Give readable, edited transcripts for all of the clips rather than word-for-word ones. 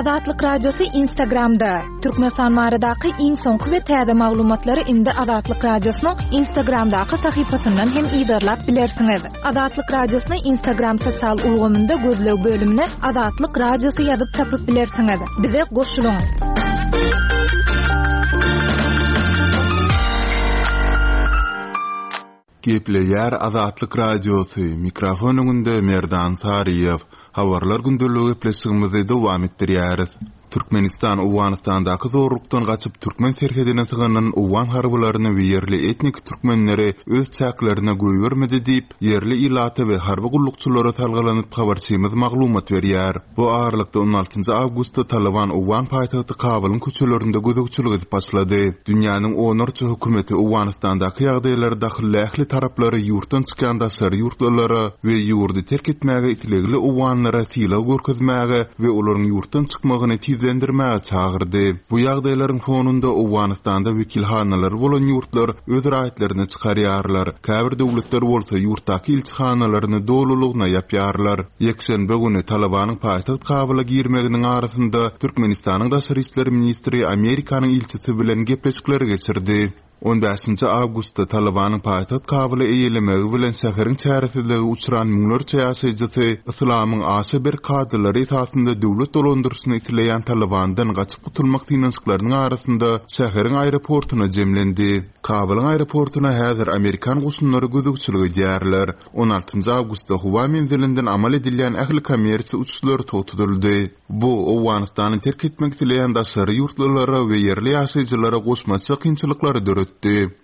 Azatlyk Radiosy Instagramda! Türkmenistan baradaky iň soňky we täze maglumatlary indi Azatlyk Radiosynyň Instagramdaky sahypasyndan hem yzarlap bilersiňiz. Azatlyk Radiosyny Instagram sosial ulgamynda gözleg bölümine Azatlyk Radiosy ýazyp tapyp bilersiňiz. Bize goşulyň! Gepleýär Azatlyk Radiosy, mikrofon öňünde Merdan Saryýew. Habarlar gündeligi gepleşigimizi dowam etdirýäris. Türkmenistan Owganystandaky zorlukdan gaçyp türkmen serhedine sygynan owgan harbylaryny we ýerli etnik türkmenleri öz çäklerine goýbermedi diýip, ýerli ilata we harby gullukçylara salgylanyp habarçymyz maglumat berýär. Bu aralykda on altynjy awgustda Talyban owgan paýtagty Kabulyň köçelerinde gözegçilik edip başlady. Dünýäniň onlarça hökümeti Owganystandaky ýagdaýlara dahylly ähli taraplary ýurtdan çykýan daşary ýurtlylara we ýurdy terk etmäge islegli owganlara sylag görkezmäge we olaryň ýurtdan çykmagyny tizlendirmäge çagyrdy. Bu ýagdaýlaryň fonunda Owganystanda wekilhanalary bolan ýurtlar öz raýatlaryny çykarýarlar, käbir döwletler bolsa ýurtdaky ilçihanalaryny dolulygyna ýapýarlar. Ýekşenbe güni Talybanyň paýtagt Kabula girmeginiň arasynda Türkmenistanyň daşary işler ministri Amerikanyň ilçisi bilen gepleşikleri geçirdi. On bäşinji awgustda Talybanyň paýtagt Kabuly eýelemegi bilen şäheriň çäresizlige uçran müňlerçe ýaşaýjysy yslamyň aşa berk kadalary esasynda döwlet dolandyryşyny isleýän Talybandan gaçyp gutulmak synanyşyklarynyň arasynda şäheriň aeroportuna jemlendi. Kabulyň aeroportuna häzir amerikan goşunlary gözegçilik edýärler. On altynjy awgustda howa menzilinden amal edilýän ähli kommersiýa uçuşlary togtadyldy. Bu, Owganystany terk etmek isleýän daşary ýurtlulara we ýerli ýaşaýjylara goşmaça kynçylyklary döretdi.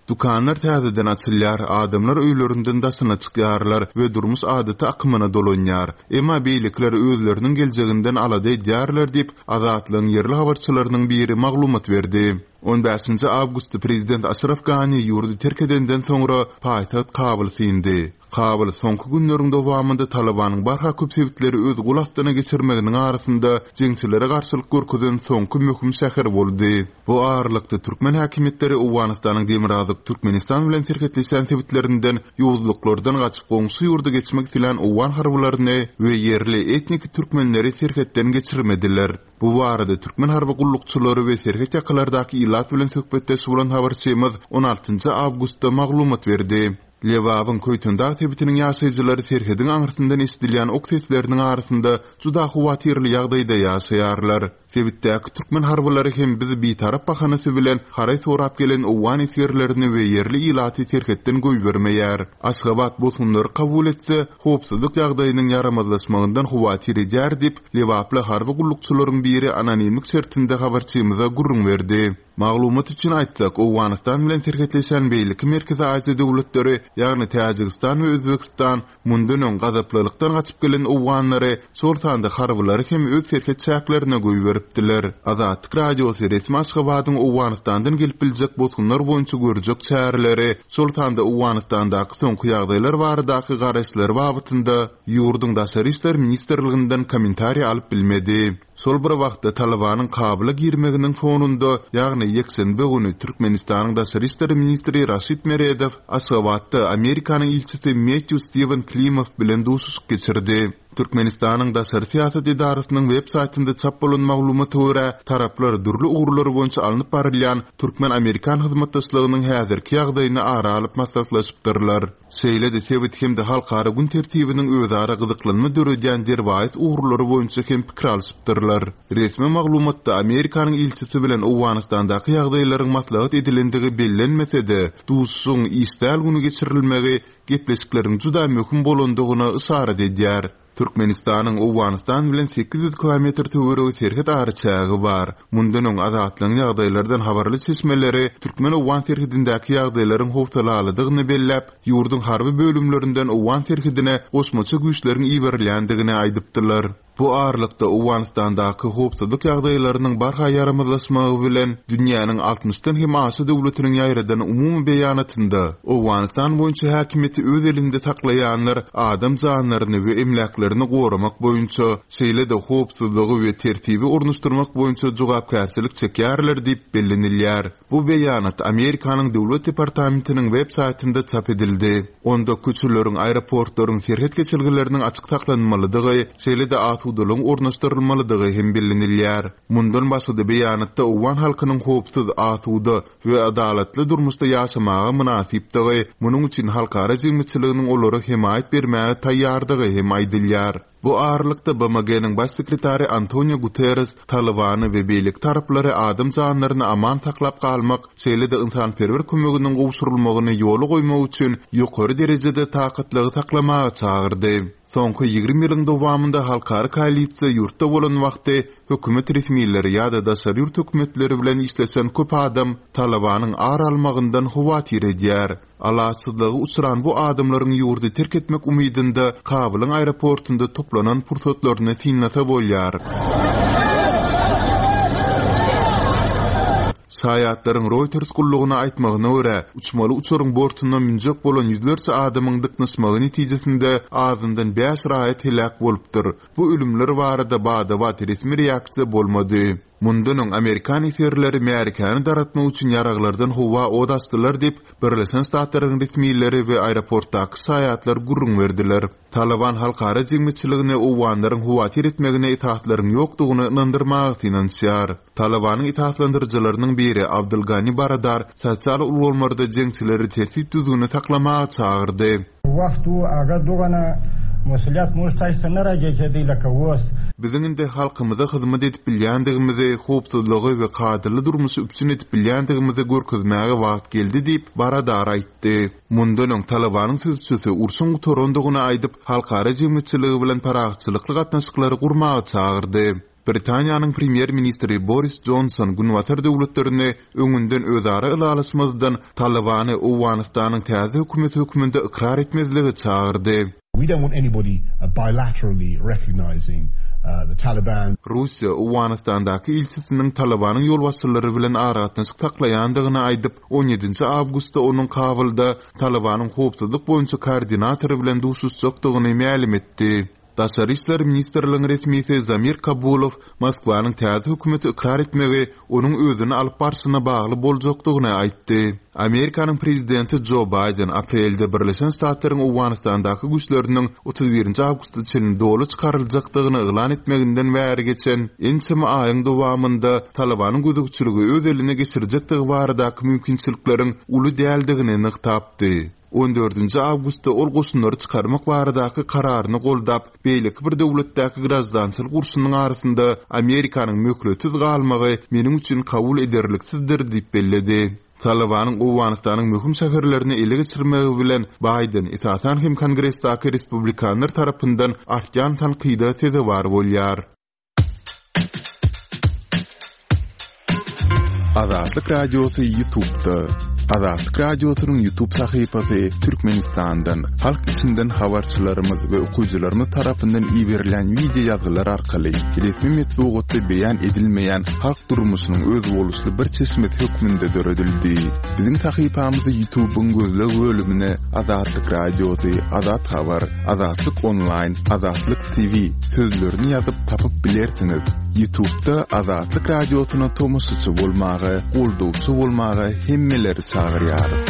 Dükanlar täzeden açylýar, adamlar öýlerinden daşyna çykýarlar we durmuş adaty akymyna dolanýar. Emma beýlekiler özleriniň geljeginden alada edýärler diýip, Azatlygyň ýerli habarçylarynyň biri maglumat berdi. On bäşinji awgustda prezident Aşraf Gani ýurdy terk edenden soňra paýtagt Kabul syndy. Kabul soňky günleriň dowamynda Talybanyň barha köp sebitleri öz gol astyna geçirmeginiň arasynda jeňçilere garşylyk görkezen soňky möhüm şäher boldy. Bu aralykda türkmen häkimiýetleri Owganystanyň demirgazyk Türkmenistan bilen serhetleşýän sebitlerinden ýowuzlyklardan gaçyp goňşy ýurda geçmek islän owgan harbylaryny we ýerli etnik türkmenleri serhetden geçirmediler. Bu barada türkmen harby gullukçylary we serhet ýakalardaky ilat bilen söhbetdeş bolan habarçymyz on altynjy awgustda maglumat berdi. Lebabyň Köýtendag sebitiniň ýaşaýjylary serhediň aňyrsyndan eşidilýän ok sesleriniň arasynda juda howatyrly ýagdaýda ýaşaýarlar. Sebitdäki türkmen harbylary hem biz bitarap bahanasy bilen haraý sorap gelen owgan esgerlerini we ýerli ilaty serhetden goýbermeýär. Aşgabat bosgunlary kabul etse, howpsuzlyk ýagdaýynyň ýaramazlaşmagyndan howatyr edýär diýip, Lebaply harby gullukçylaryň biri anonimlik şertinde habarçymyza gürrüň berdi. Maglumat üçin aýtsak, Owganystan bilen serhetleşen beýleki Merkezi Aziýa döwletleri, ýagny Täjigistan we Özbegistan mundan öň gazaplylykdan gaçyp gelen owganlary, şol sanda harbylary hem öz serhet çäklerine goýberipdiler. Azatlyk Radiosy resmi Aşgabadyň Owganystandan gelip biljek bosgunlar boýunça görjek çäreleri, şol sanda Owganystandaky soňky ýagdaýlar baradaky garaýyşlary babatynda Ýurduň Daşary işler ministrliginden kommentariý alyp bilmedi. Şol bir wagtda, Talybanyň Kabula girmeginiň fonunda, ýagny ýekşenbe güni Türkmenistanyň daşary işler ministri Raşid Meredow Aşgabatda Amerikanyň ilçisi Mettýu Stiwen Klimow bilen duşuşyk geçirdi. Türkmenistanyň daşary syýasat edarasynyň web saýtynda çap bolan maglumata görä, taraplar dürli ugurlar boýunça alnyp barylýan türkmen-amerikan hyzmatdaşlygynyň häzirki ýagdaýyny ara alyp maslahatlaşypdyrlar. Şeýle-de sebit hem-de halkara gün tertibiniň özara gyzyklanma döredýän derwaýys ugurlary boýunça hem pikir alşypdyrlar. Resmi maglumatda Amerikanyň ilçisi bilen Owganystandaky ýagdaýlaryň maslahat edilendigi bellenmese-de, duşuşygyň iş däl güni geçirilmegi gepleşikleriň juda möhüm bolandygyna yşarat edýär. Türkmenistanyň Owganystan bilen 800 kilometr töweregi serhet araçägi bar. Mundan öň Azatlygyň ýagdaýlardan habarly çeşmeleri türkmen-owgan serhedindäki ýagdaýlaryň howsalalydygyny belläp, ýurduň harby bölümlerinden owgan serhedine goşmaça güýçleriň iberilýändigini aýdypdylar. Bu aralykda, Owganystandaky howpsuzlyk ýagdaýlarynyň barha ýaramazlaşmagy bilen, dünýäniň altmyşdan hem aşa döwletiniň ýaýradan umumy beýanatynda Owganystan boýunça häkimiýeti öz elinde saklaýanlar adam janlaryny we emläklerini. bähbitlerini goramak boýunça, şeýle-de howpsuzlygy we tertibi ornaşdyrmak boýunça jogapkärçilik çekýärler diýip bellenilýär. Bu beýanat Amerikanyň Döwlet departamentiniň web saýtynda çap edildi. Onda köçeleriň, aeroportlaryň, serhet geçelgeleriniň açyk saklanmalydygy, şeýle-de asudalygyň ornaşdyrylmalydygy hem bellenilýär. Mundan başga-da beýanatda owgan halkynyň howpsuz, asuda we adalatly durmuşda ýaşamaga mynasypdygy, munuň üçin halkara jemgyýetçiliginiň olara hemaýat bermäge taýýardygy hem aýdylýar. Bu aralykda, BMG-niň Baş sekretary Antonio Guterres Talybany we beýleki taraplary adam janlaryny aman saklap galmak, şeýle-de ynsanperwer kömeginiň gowşurylmagyny ýola goýmak üçin ýokary derejede takatlygy saklamaga çagyrdy. Soňky 20 ýylyň dowamynda halkara koalisiýa ýurtda bolan wagty hökümet resmileri ýa-da daşary ýurt hökümetleri bilen işleşen köp adam Talybanyň ar almagyndan howatyr edýär. Alaçsyzlyga uçran bu adamlaryň ýurdy terk etmek umydynda Kabulyň aeroportunda toplanan pursatlaryny synlasa bolýar. Şaýatlaryň Reuters gullugyna aýtmagyna görä, uçmaly uçaryň bortuna münjek bolan ýüzlerçe adamyň dyknyşmagy netijesinde azyndan bäş raýat heläk bolupdyr. Bu ölümler barada bada-bat resmi reaksiýa bolmady. Mundan öň amerikan esgerleri märekäni daratmak üçin ýaraglardan howa ot açdylar diýip, Birleşen Ştatlaryň resmileri we aeroportdaky şaýatlar gürrüň berdiler. Talyban halkara jemgyýetçiligini owganlaryň howatyr etmegine esaslaryň ýokdugyny ynandyrmaga synanyşýar. Talybanyň esaslandyryjylarynyň biri Abdul Gani Baradar sosial ulgamlarda jeňçileri tertip-düzgüni saklamaga çagyrdy. Wagt u aga dogana musulyat muž taýsa nara gejedi laka wos. Biziň indi halkymyza hyzmat edip bilýändigimizi, howpsuzlygy we kadaly durmuşy üpjün edip bilýändigimizi görkezmäge wagt geldi diýip, Baradar aýtdy. Mundan öň Talybanyň sözçüsi urşuň gutarandygyny aýdyp, halkara jemgyýetçiligi bilen parahatçylykly gatnaşyklary gurmaga çagyrdy. Britaniýanyň premýer-ministri Boris Jonson Günbatar döwletlerini öňünden özara ylalaşmazdan Talybany Owganystanyň täze hökümeti hökmünde ykrar etmezlige çagyrdy. We don't want anybody bilaterally recognising the Taliban. Russiýa Owganystandaky ilçisiniň Talybanyň ýolbaşçylary bilen aragatnaşyk saklaýandygyny aýdyp, on ýedinji awgustda onuň Kabulda Talybanyň howpsuzlyk boýunça koordinatory bilen duşuşjakdygyny mälim etdi. Daşary işler ministrligiň resmisi Zamir Kabulow Moskwanyň täze hökümeti ykrar etmegi onuň özüni alyp barşyna bagly boljakdygyny aýtdy. Amerikanyň prezidenti Jo Baýden aprelde Birleşen Ştatlaryň Owganystandaky güýçleriniň 31 awgusta çenli doly çykaryljakdygyny yglan etmeginden bäri geçen ençeme aýyň dowamynda Talybanyň gözegçiligi öz eline geçirjekdigi baradaky mümkinçilikleriň uly däldigini nygtapdy. On dördünji awgustda ol goşunlary çykarmak baradaky kararyny goldap, beýleki bir döwletdäki graždançylyk urşunyň arasynda Amerikanyň möhletsiz galmagy meniň üçin kabul ederliksizdir diýip belledi. Talybanyň Owganystanyň möhüm şäherlerini ele geçirmegi bilen Baýden, esasan hem Kongresdäki respublikanlar tarapyndan artýan tankyda sezewar bolýar. Azatlyk Radiosy YouTube'da. Azatlyk Radiosynyň YouTube sahypasy Türkmenistandan, halk içinden habarçylarymyz we okyjylarymyz tarapyndan iberilen wideo ýazgylar arkaly resmi metbugatda beýan edilmeýän halk durmuşynyň özboluşly bir çeşmesi hökmünde döredildi. Biziň sahypamyzy YouTube'yň gözleg bölümine Azatlyk Radiosy, Azat Habar, Azatlyk Onlaýn, Azatlyk TV sözlerini ýazyp tapyp bilersiňiz. Ýutubda Azatlyk Radiosyna tomaşaçy bolmaga, goldawçy bolmaga hemmeleri çagyrýarys.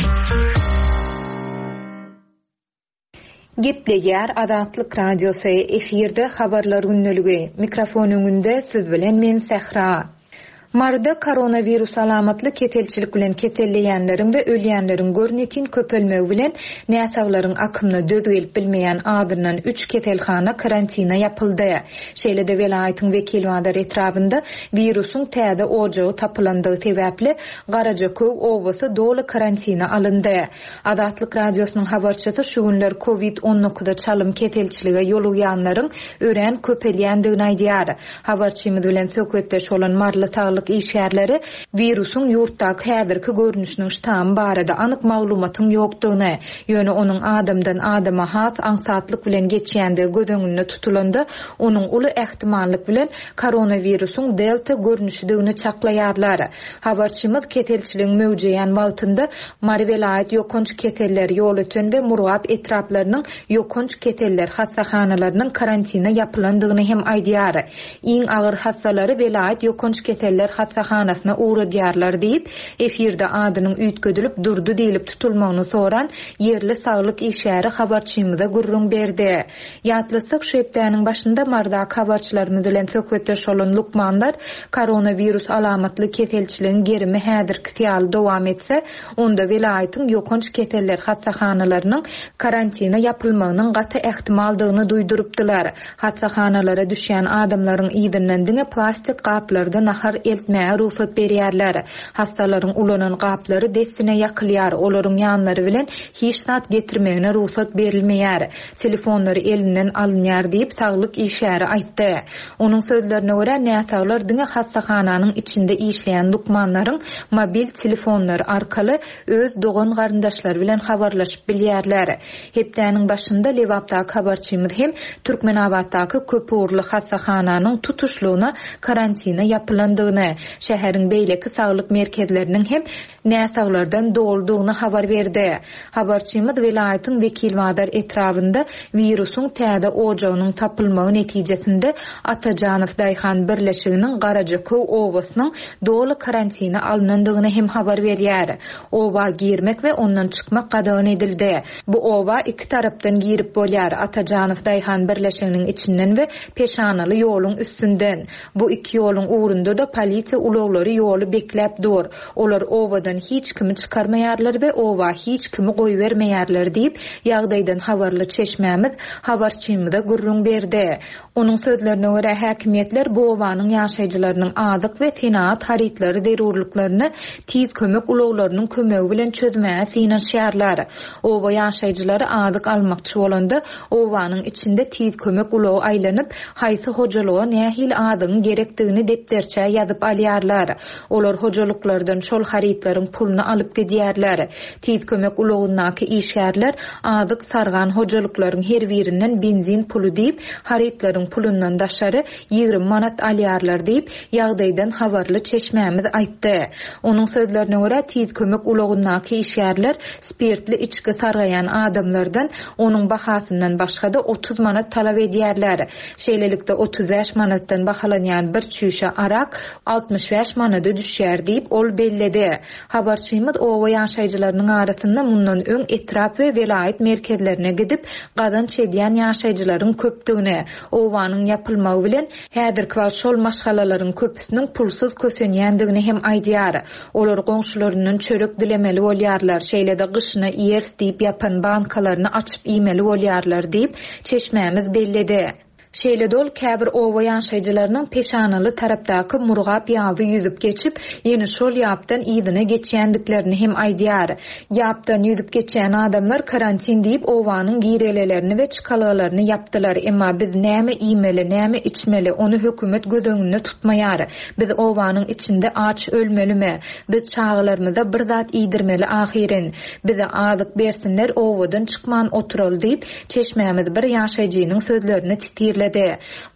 Gepleýär Azatlyk Radiosy, efirde Habarlar gündeligi, mikrofon öňünde siz bilen men Sähra. Maryda koronawirus alamatly keselçilik bilen keselleýänleriň we ölýänleriň görnetin köpelmegi bilen, näsaglaryň akymyna döz gelip bilmeýän azyndan üç keselhana karantina ýapyldy. Şeýle-de welaýatyň Wekilbazar etrabynda wirusyň täze ojagy tapylandygy sebäpli, Garajaköw obasy doly karantina alyndy. Azatlyk Radiosynyň habarçysy şu günler kowid on dokuza çalym keselçilige ýolugýanlaryň örän köpelýändigini aýdýar. Habarçymyz bilen söhbetdeş bolan maryly saglyk. saglyk işgärleri wirusyň ýurtdaky häzirki görnüşiniň ştamy barada anyk maglumatyň ýokdugyny, ýöne onuň adamdan adama has aňsatlyk bilen geçýändigi göz öňünde tutulanda, onuň uly ähtimallyk bilen koronawirusyň delta görnüşidigini çaklaýarlar. Habarçymyz keselçiligiň möwjeýän wagtynda Mary welaýat ýokanç keseller, Ýolöten we Murgap etraplarynyň ýokanç keseller hassahanalarynyň karantina ýapylandygyny hem aýdýar. Iň agyr hassalary welaýat ýokanç keseller hassahanasyna ugradýarlar diýip, efirde adynyň üýtgedilip Durdy diýlip tutulmagyny soran ýerli saglyk işgäri habarçymyza gürrüň berdi. Ýatlatsak, şu hepdäniň başynda Marydaky habarçylarymyz bilen söhbetdeş bolan lukmanlar koronawirus alamatly keselçiligiň gerimi häzirkisi ýaly dowam etse, onda welaýatyň ýokanç keseller hassahanalarynyň karantina ýapylmagynyň gaty ähtimaldygyny duýdurypdylar. Hassahanalara düşýän adamlaryň yzyndan diňe plastik gaplarda nahar eltmäge rugsat berýärler. Hassalaryň ulanan gaplary dessine ýakylýar, olaryň ýanlary bilen hiç zat getirmegine rugsat berilmeýär. Telefonlary elinden alynýar diýip, saglyk işgäri aýtdy. Onuň sözlerine görä, näsaglar diňe hassahananyň içinde işleýän lukmanlaryň mobil telefonlary arkaly öz dogan-garyndaşlary bilen habarlaşyp bilýärler. Hepdäniň başynda Lebapdaky habarçymyz hem Türkmenabatdaky köpugurly hassahananyň tutuşlygyna karantina ýapylandygyny, şäheriň beýleki saglyk merkezleriniň hem näsaglardan doludygyny habar berdi. Habarçymyz welaýatyň Wekilbazar etrabynda wirusyň täze ojagynyň tapylmagy netijesinde Atajanow daýhan birleşiginiň Garajaköw obasynyň doly karantina alnandygyny hem habar berýär. Oba girmek we ondan çykmak gadagan edildi. Bu oba iki tarapdan girip bolýar, Atajanow daýhan birleşiginiň içinden we Peşanaly ýoluň üstünden. Bu iki ýoluň ugrunda-da polisiýa ulaglary ýoly bekläp dur. Olar obadan hiç kimi çykarmaýarlar we oba hiç kimi goýbermeýärler diýip, ýagdaýdan habarly çeşmämiz habarçymyza gürrüň berdi. Onuň sözlerine görä, häkimiýetler bu obanyň ýaşaýjylarynyň azyk we senagat harytlary zerurlyklaryny tiz kömek ulaglarynyň kömegi bilen çözmäge synanyşýarlar. Oba ýaşaýjylary azyk almakçy bolanda, obanyň içinde tiz kömek ulagy aýlanyp, haýsy hojalyga nähili azygyň gerekdigini depderçä ýazyp alýarlar. Olar hojalyklardan şol harytlaryň puluny alyp gidýärler. Tiz kömek ulagyndaky işgärler azyk sargan hojalyklaryň her birinden benzin puly diýip, harytlaryň pulundan daşary 20 manat alýarlar diýip, ýagdaýdan habarly çeşmämiz aýtdy. Onuň sözlerine görä, tiz kömek ulagyndaky işgärler spirtli içgi sargaýan adamlardan onuň bahasyndan başga-da 30 manat talap edýärler. Şeýlelikde, 35 manatdan bahalanýan bir çüýşe arak 65 manada düşýär diýip, ol belledi. Habarçymyz oba ýaşaýjylarynyň arasynda mundan öň etrap we welaýat merkezlerine gidip, gazanç edýän ýaşaýjylaryň köpdügini, obanyň ýapylmagy bilen, häzirki wagt şol maşgalalaryň köpüsiniň pulsuz kösenýändigini hem aýdýar. Olar goňşularyndan çörek dilemeli bolýarlar, şeýle-de gyşyna iýeris diýip ýapan bankalaryny açyp iýmeli bolýarlar diýip, çeşmämiz belledi. Şeýle-de ol käbir oba ýaşaýjylarynyň Peşanaly tarapdaky Murgap ýaby ýüzüp geçip, ýene şol ýapdan yzyna geçýändiklerini hem aýdýar. Ýapdan ýüzüp geçýän adamlar karantin diýip obanyň girelelerini we çykalgalaryny ýapdylar, emma biz näme iýmeli, näme içmeli, ony hökümet göz öňünde tutmaýar. Biz obanyň içinde aç ölmelimi? Biz çagalarymyza bir zat iýdirmeli ahyryn. Bize azyk bersinler obadan çykman oturaly diýip, Çeşmämiz bir ýaşaýjynyň sözlerini sitirledi.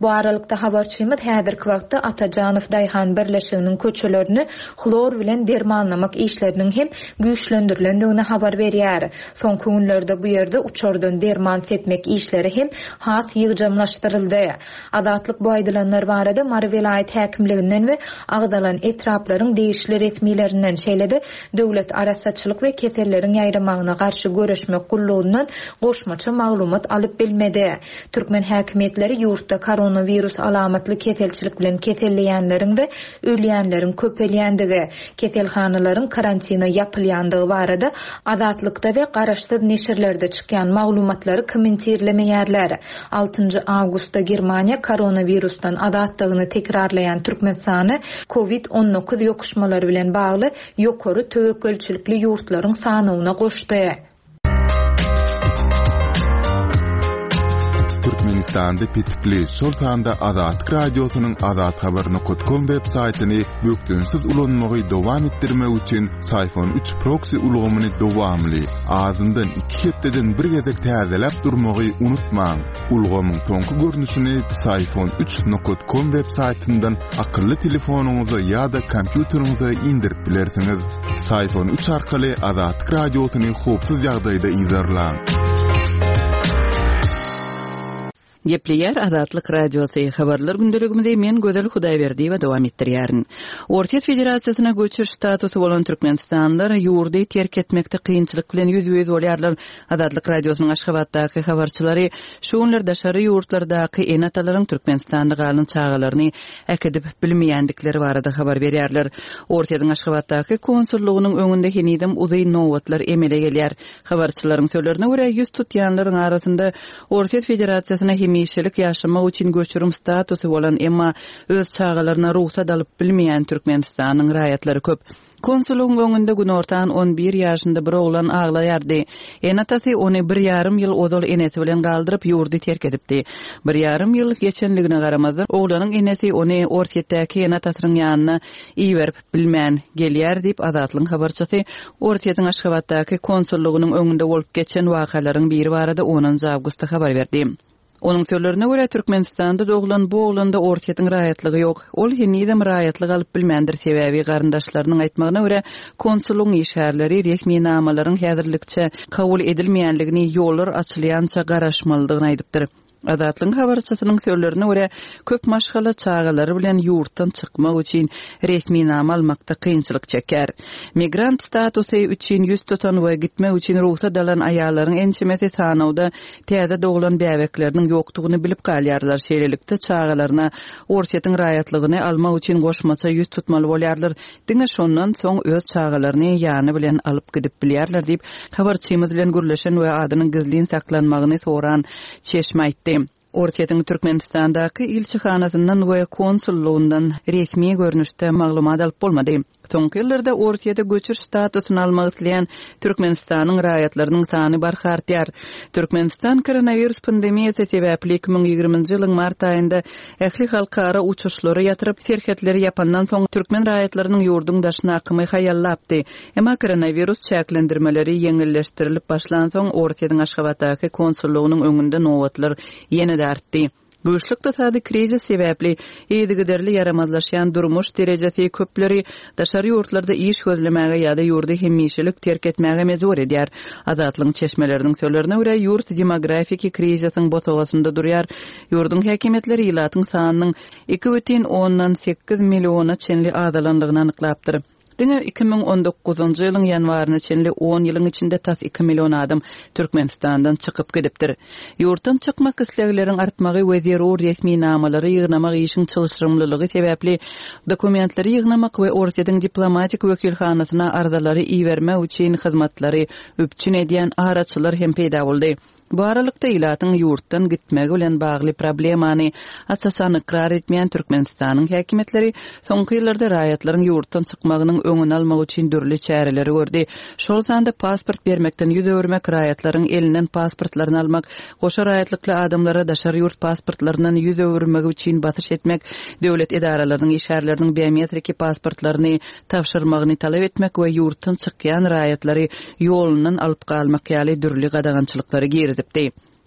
Bu aralykda, habarçymyz häzirki wagtda Atajanow daýhan birleşiginiň köçelerini hlor bilen dermanlamak işleriniň hem güýçlendirilendigini habar berýär. Soňky günlerde bu ýerde uçardan derman sepmek işleri hem has ýygjamlaşdyryldy. Azatlyk bu aýdylanlar barada Mary welaýat häkimliginden we agzalan etraplaryň degişli resmilerinden, şeýle-de Döwlet arassaçylyk we keselleriň ýaýramagyna garşy göreşmek gullugyndan goşmaça maglumat alyp bilmedi. Türkmen häkimiýetleri ýurtda koronawirus alamatly keselçilik bilen keselleýänleriň we ölýänleriň köpelýändigi, keselhanalaryň karantina ýapylýandygy barada Azatlykda we garaşsyz neşirlerde çykýan maglumatlary kommentirlemeýärler. Altynjy awgustda Germaniýa koronawirusdan azatdygyny tekrarlaýan Türkmenistany Covid 19 ýokuşmalary bilen bagly ýokary töwekgelçilikli ýurtlaryň sanawyna goşdy. Türkmenistanda petikli, şol sanda Azatlyk Radiosynyň azathabar nokat kom web saýtyny bökdençsiz ulanmagy dowam etdirmek üçin Syfon 3 proksi ulgamyny dowamly, azyndan iki hepdeden bir gezek täzeläp durmagy unutmaň. Ulgamyň soňky görnüşini Syfon 3 nokat kom web saýtyndan akylly telefonyňyza ýa-da kompýuteriňize indirip bilersiňiz. Syfon 3 arkaly Azatlyk Radiosyny howpsuz ýagdaýda yzarlaň. Gepleýär Azatlyk Radiosy, Habarlar gündeligimizi men Gözel Hudaýberdiýewa dowam etdirýärin. Orsýet Federasiýasyna göçüş statusy bolan türkmenistanlylar ýurdy terk etmekde kynçylyk bilen ýüzbe-ýüz bolýarlar. Azatlyk Radiosynyň Aşgabatdaky habarçylary şu günler daşary ýurtlardaky ene-atalaryň Türkmenistanda galan çagalaryny äkidip bilmeýändikleri barada habar berýärler. Orsýetiň Aşgabatdaky konsullygynyň öňünde henizem uzyn nobatlar emele gelýär. Habarçylaryň sözlerine görä, ýüz tutýanlaryň arasynda Orsýet Federasiýasyna hemişelik ýaşamak üçin göçürim statusy bolan, emma öz çagalaryna rugsat alyp bilmeýän Türkmenistanyň raýatlary köp. Konsullygyň öňünde günortan on bir ýaşynda bir oglan aglaýardy. Ene-atasy ony bir ýarym ýyl ozal enesi bilen galdyryp, ýurdy terk edipdi. Bir ýarym ýyl geçenligine garamazdan, oglanyň enesi ony Orsýetdäki ene-atasynyň ýanyna iberip bilmän gelýär diýip, Azatlygyň habarçysy Orsýetiň Aşgabatdaky konsullygynyň öňünde bolup geçen wakalaryň biri barada onunjy awgustda habar berdi. Onuň sözlerine görä, Türkmenistanda doglan bu oglanda Orsýetiň raýatlygy ýok. Ol henizem raýatlyk alyp bilmändir, sebäbi garyndaşlarynyň aýtmagyna görä, konsullygyň işgärleri resminamalaryň häzirlikçe kabul edilmeýänligini, ýollar açylýança garaşmalydygyny aýdypdyr. Azatlygyň habarçysynyň sözlerine görä, köp maşgala çagalary bilen ýurtdan çykmak üçin resminama almakda kynçylyk çekýär. Migrant statusy üçin ýüz tutan we gitmek üçin rugsat alan aýallaryň ençemesi sanawda täze doglan bäbekleriniň ýokdugyny bilip galýarlar, şeýlelikde, çagalaryna Orsýetiň raýatlygyny almak üçin goşmaça ýüz tutmaly bolýarlar, diňe şondan soň öz çagalaryny ýany bilen alyp gidip bilýärler diýip, habarçymyz bilen gürleşen we adynyň gizlin saklanmagyny soran çeşme aýtdy. Orsýetiň Türkmenistandaky ilçihanasyndan we konsullygyndan resmi görnüşde maglumat alyp bolmady. Soňky ýyllarda Orsýete göçüş statusyny almak isleýän Türkmenistanyň raýatlarynyň sany barha artýar. Türkmenistan koronawirus pandemiýasy sebäpli 2020-nji ýylyň mart aýynda ähli halkara uçuşlary ýatyryp, serhetleri ýapandan soň türkmen raýatlarynyň ýurduň daşyna akymy haýallapdy. Emma koronawirus çäklendirmeleri ýeňilleşdirilip başlansoň, Orsýetiň Aşgabatdaky konsullygynyň öňünde nobatlar ýene-de artdy. Güýçli ykdysady krizis sebäpli yzygiderli ýaramazlaşýan durmuş derejesi köpleri daşary ýurtlarda iş gözlemäge ýa-da ýurdy hemişelik terk etmäge mejbur edýär. Azatlygyň çeşmeleriniň sözlerine görä, ýurt demografiki krizisiň bosagasynda durýar. Ýurduň häkimiýetleri ilatyň sanynyň 2,8 milliona çenli azalandygyny anyklapdyr. Diňe 2019-njy ýylyň ýanwaryna çenli on ýylyň içinde tas iki million adam Türkmenistandan çykyp gidipdir. Ýurtdan çykmak islegleriň artmagy we zerur resminamalary ýygnamak işiň çylşyrymlylygy sebäpli dokumentleri ýygnamak we Orsýetiň diplomatik wekilhanasyna arzalary ibermek üçin hyzmatlary üpjün edýän araçylar hem peýda boldy. Bu aralykda, ilatyň ýurtdan gitmegi bilen bagly problemany aç-açan ykrar etmeýän Türkmenistanyň häkimiýetleri soňky ýyllarda raýatlaryň ýurtdan çykmagynyň öňüni almak üçin dürli çäreleri gördi. Şol sanda pasport bermekden ýüz öwürmek, raýatlaryň elinden pasportlaryny almak, goşa raýatlykly adamlara daşary ýurt pasportlaryndan ýüz öwürmegi üçin basyş etmek, döwlet edaralarynyň işgärleriniň biometriki pasportlaryny tabşyrmagyny talap etmek we ýurtdan çykýan raýatlary ýolundan alyp galmak ýaly dürli gadagançylyklary girizipdi.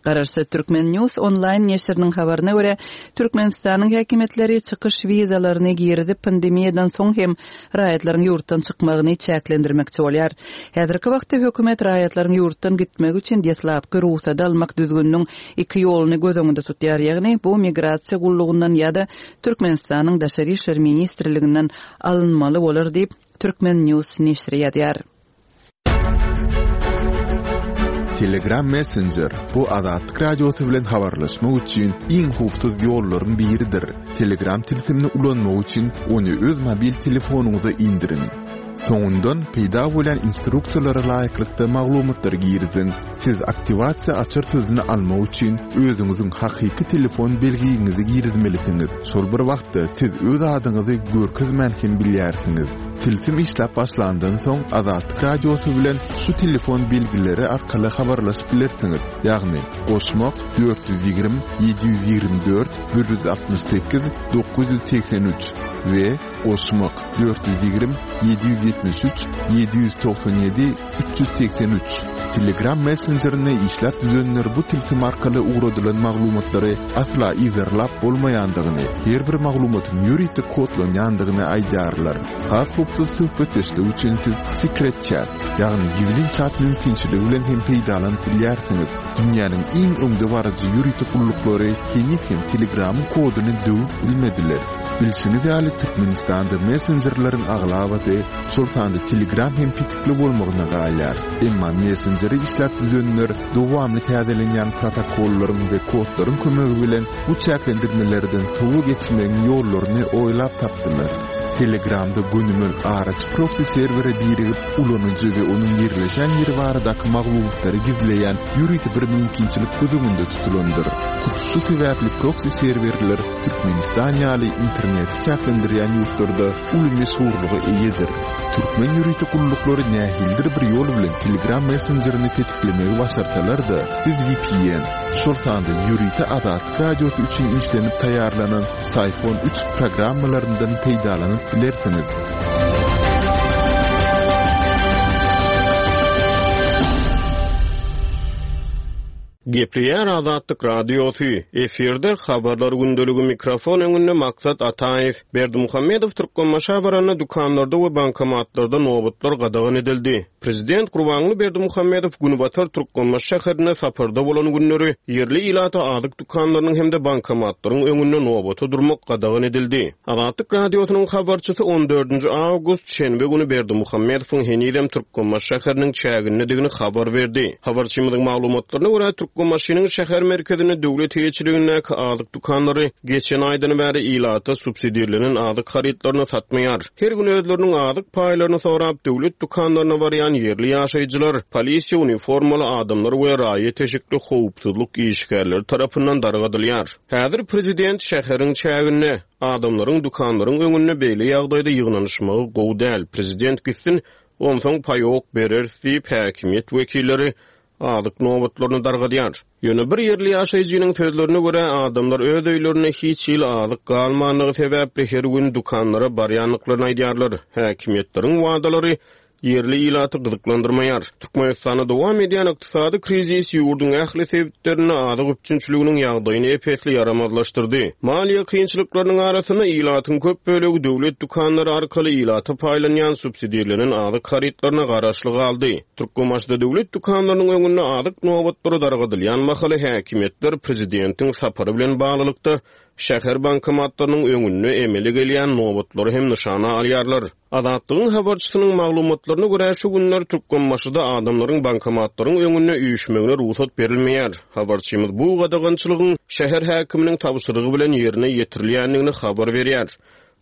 Garaşsyz Turkmen News onlaýn neşiriniň habaryna görä, Türkmenistanyň häkimiýetleri çykyş wizalaryny girizip, pandemiýadan soň hem raýatlaryň ýurtdan çykmagyny çäklendirmekçi bolýar. Häzirki wagtda hökümet raýatlaryň ýurtdan gitmegi üçin deslapky rugsady almak düzgüniniň iki ýoluny göz öňünde tutýar, ýagny bu migrasiýa gullugyndan ýa-da Türkmenistanyň Daşary işler ministrliginden alynmaly bolar diýip, Turkmen News neşiri ýazýar. Telegram Messenger, bu Azatlyk Radiosy bilen habarlaşmak üçin iň howpsuz ýollaryň biridir. Telegram tilsimini ulanmak üçin ony öz mobil telefonyňyza indiriň. Soňundan peýda bolýan instruksiýalara laýyklykda maglumatlary giriziň. Siz aktiwasiýa açar sözüni almak üçin özüňiziň hakyky telefon belgiňizi girizmelisiňiz. Şol bir wagtda siz öz adyňyzy görkezmän hem bilýärsiňiz. Tilsim işläp başlandan soň Azatlyk Radiosy bilen şu telefon belgileri arkaly habarlaşyp bilersiňiz, ýagny, goşmak, 420 724 168 983 we goşmak, 420 773 797 383. Telegram messenjerini işläp düzenler bu tilsim arkaly ugradylan maglumatlary asla yzarlap bolmaýandygyny, her bir maglumatyň ýörite kodlanýandygyny aýdýarlar. Has howpsuz söhbetdeşlik üçin siz Secret Chat, ýagny gizlin çat mümkinçiligi bilen hem peýdalanyp bilýärsiňiz. Dünýäniň iň öňdebaryjy ýörite gulluklary heniz hem Telegramyň koduny döwüp bilmediler. Bilşiňiz ýaly, Türkmenistanda messenjerleriň aglabasy, şol sanda Telegram hem petikli bolmagyna galýar. Emma messenjeri işläp düzenler dowamly täzelenýän protokollaryň we kodlaryň kömegi bilen bu çäklendirmelerden sowa geçmegiň ýollaryny oýlap tapdylar. Telegramda gönümel araçy proksi serwere birigip, ulanyjy we onuň ýerleşen ýeri baradaky maglumatlary gizleýän ýörite bir mümkinçilik göz öňünde tutulandyr. Hut şu sebäpli proksi serwerler Türkmenistan ýaly interneti çäklendirýän ýurtlarda uly meşhurlyga eýedir. Türkmen ýörite gulluklary nähilidir bir ýol bilen Telegram messenjerini petiklemegi başarsalar-da, siz vpn, şol sanda ýörite Azatlyk Radiosy üçin işlenip taýýarlanan Syphon üç programmalaryndan peýdalanyp bilersiňiz. Gepleýär Azatlyk Radiosy, efirde Habarlar gündeligi mikrofon öňünde Maksat Ataýew. Berdimuhamedow Türkmenbaşa baranda dükanlarda we bankomatlarda nobatlar gadagan edildi. Prezident Gurbanguly Berdimuhamedow günbatar Türkmenbaşy şäherinde saparda bolan günleri ýerli ilata azyk dükanlarynyň hem-de bankomatlaryň öňünde nobata durmak gadagan edildi. Azatlyk Radiosynyň habarçysy on dördünji awgust, şenbe güni Berdimuhamedowyň henizem Türkmenbaşy şäheriniň çägindedigini habar berdi. Habarçymyzyň maglumatlaryna görä, Türkmenbaşynyň şäher merkezinde döwlet eýeçiligindäki azyk dükanlary geçen aýdan bäri ilata subsidirlenen azyk harytlaryny satmaýar. Her gün özleriniň azyk paýlaryny sorap, döwlet dükanlaryna barýan ýerli ýaşaýjylar polisiýa uniformaly adamlar we raýat eşikli howpsuzlyk işgärleri tarapyndan dargadylýar. Häzir prezident şäheriň çäginde, adamlaryň dükanlaryň öňünde beýle ýagdaýda ýygnanyşmagy gowy däl, prezident gitsin, onsoň paýok bereris diýip, häkimiýet wekilleri azyk nobatlaryny dargadýar. Ýöne bir ýerli ýaşaýjynyň sözlerine görä, adamlar öz öýlerinde hiç hili azyk galmandygy sebäpli her gün dükanlara barýandyklaryny aýdýarlar. Häkimiýetleriň wadalary ýerli ilaty gyzyklandyrmaýar. Türkmenistanda dowam edýän ykdysady krizis ýurduň ähli sebitlerinde azyk üpjünçiliginiň ýagdaýyny ep-esli ýaramazlaşdyrdy. Maliýe kynçylyklarynyň arasynda ilatyň köp bölegi döwlet dükanlary arkaly ilata paýlanýan subsidirlenen azyk harytlaryna garaşly galdy. Türkmenbaşyda döwlet dükanlarynyň öňünde azyk nobatlary dargadylýan mahaly häkimiýetler prezidentiň sapary bilen baglylykda şäher bankomatlarynyň öňünde emele gelýän nobatlary hem nyşana alýarlar. Azatlygyň habarçysynyň maglumatlaryna görä, şu günler Türkmenbaşyda adamlaryň bankomatlaryň öňünde üýşmegine rugsat berilmeýär. Habarçymyz bu gadagançylygyň şäher häkiminiň tabşyrygy bilen ýerine ýetirilýändigini habar berýär.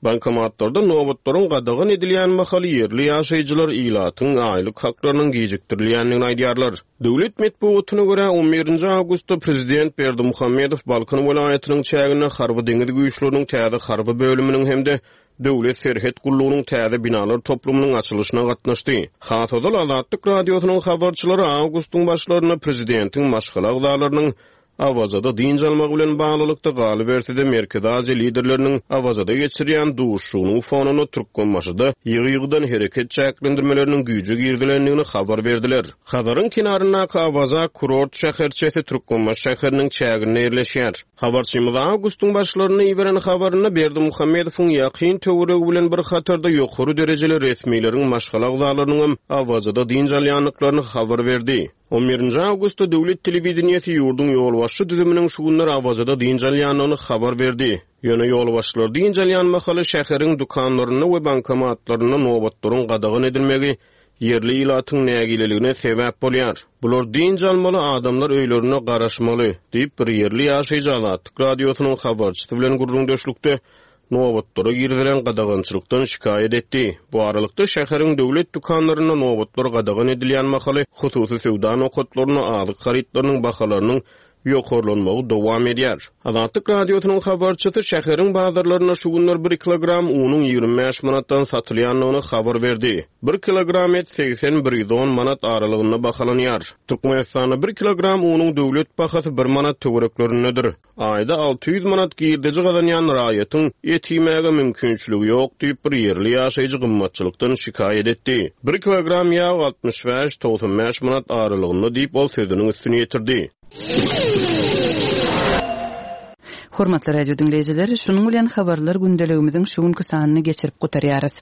Bankomatlarda nobatlaryň gadagan edilýän mahaly ýerli ýaşaýjylar ilatyň aýlyk haklarynyň gijikdirilýändigini aýdýarlar. Döwlet metbugatyna görä, on birinji awgustda prezident Berdimuhamedow Balkan welaýatynyň çäginde Harby-deňiz güýçleriniň täze harby bölüminiň hem-de Döwlet serhet gullugynyň täze binalar toplumynyň açylyşyna gatnaşdy. Has ozal Azatlyk Radiosynyň habarçylary awgustyň başlarynda prezidentiň maşgala agzalarynyň Awazada dynç almagy bilen baglylykda, galyberse-de, Merkezi Aziýa liderleriniň Awazada geçirýän duşuşygynyň fonunda Türkmenbaşyda ýygy-ýygydan hereket çäklendirmeleriniň güýje girizilendigini habar berdiler. Hazaryň kenaryndaky Awaza kurort şäherçesi Türkmenbaşy şäheriniň çäginde ýerleşýär. Habarçymyz awgustyň başlarynda iberen habarynda Berdimuhamedowyň ýakyn töweregi bilen bir hatarda ýokary derejeli resmileriň maşgala agzalarynyňam Awazada dynç alýandyklaryny habar berdi. On birinji awgustda döwlet telewideniýesi ýurduň ýolbaşçy düzüminiň şu günler Awazada dynç alýandygyny habar berdi. Ýöne ýolbaşçylar dynç alýan mahaly şäheriň dükanlarynda we bankomatlarynda nobatlaryň gadagan edilmegi ýerli ilatyň nägileligine sebäp bolýar. Bular dynç almaly, adamlar öýlerinde garaşmaly, diýip, bir ýerli ýaşaýjy Azatlyk Radiosynyň habarçysy bilen gürrüňdeşlikde. Nobatlara girizilen gadagançylykdan şikaýat etdi. Bu aralykda, şäheriň döwlet dükanlarynda nobatlar gadagan edilýän mahaly, hususy söwda nokatlarynda azyk harytlarynyň bahalarynyň ýokarlanmagy dowam edýär. Azatlyk Radiosynyň habarçysy şäheriň bazarlarynda şu günler bir kilogram unuň 25 manatdan satylýandygyny habar berdi. Bir kilogram et 80, 110 manat aralygynda bahalanýar. Türkmenistanda bir kilogram unuň döwlet bahasy bir manat töwereklerindedir. Aýda 600 manat girdeji gazanýan raýatyň et iýmäge mümkinçiligi ýok diýip, bir ýerli ýaşaýjy gymmatçylykdan şikaýat etdi. Bir kilogram ýag 65, 95 manat aralygynda diýip, ol sözüniň üstüni ýetirdi. Hormatly radio diňleýjiler, şunuň bilen Habarlar gündeligimiziň şu günki sanyny geçirip gutarýarys.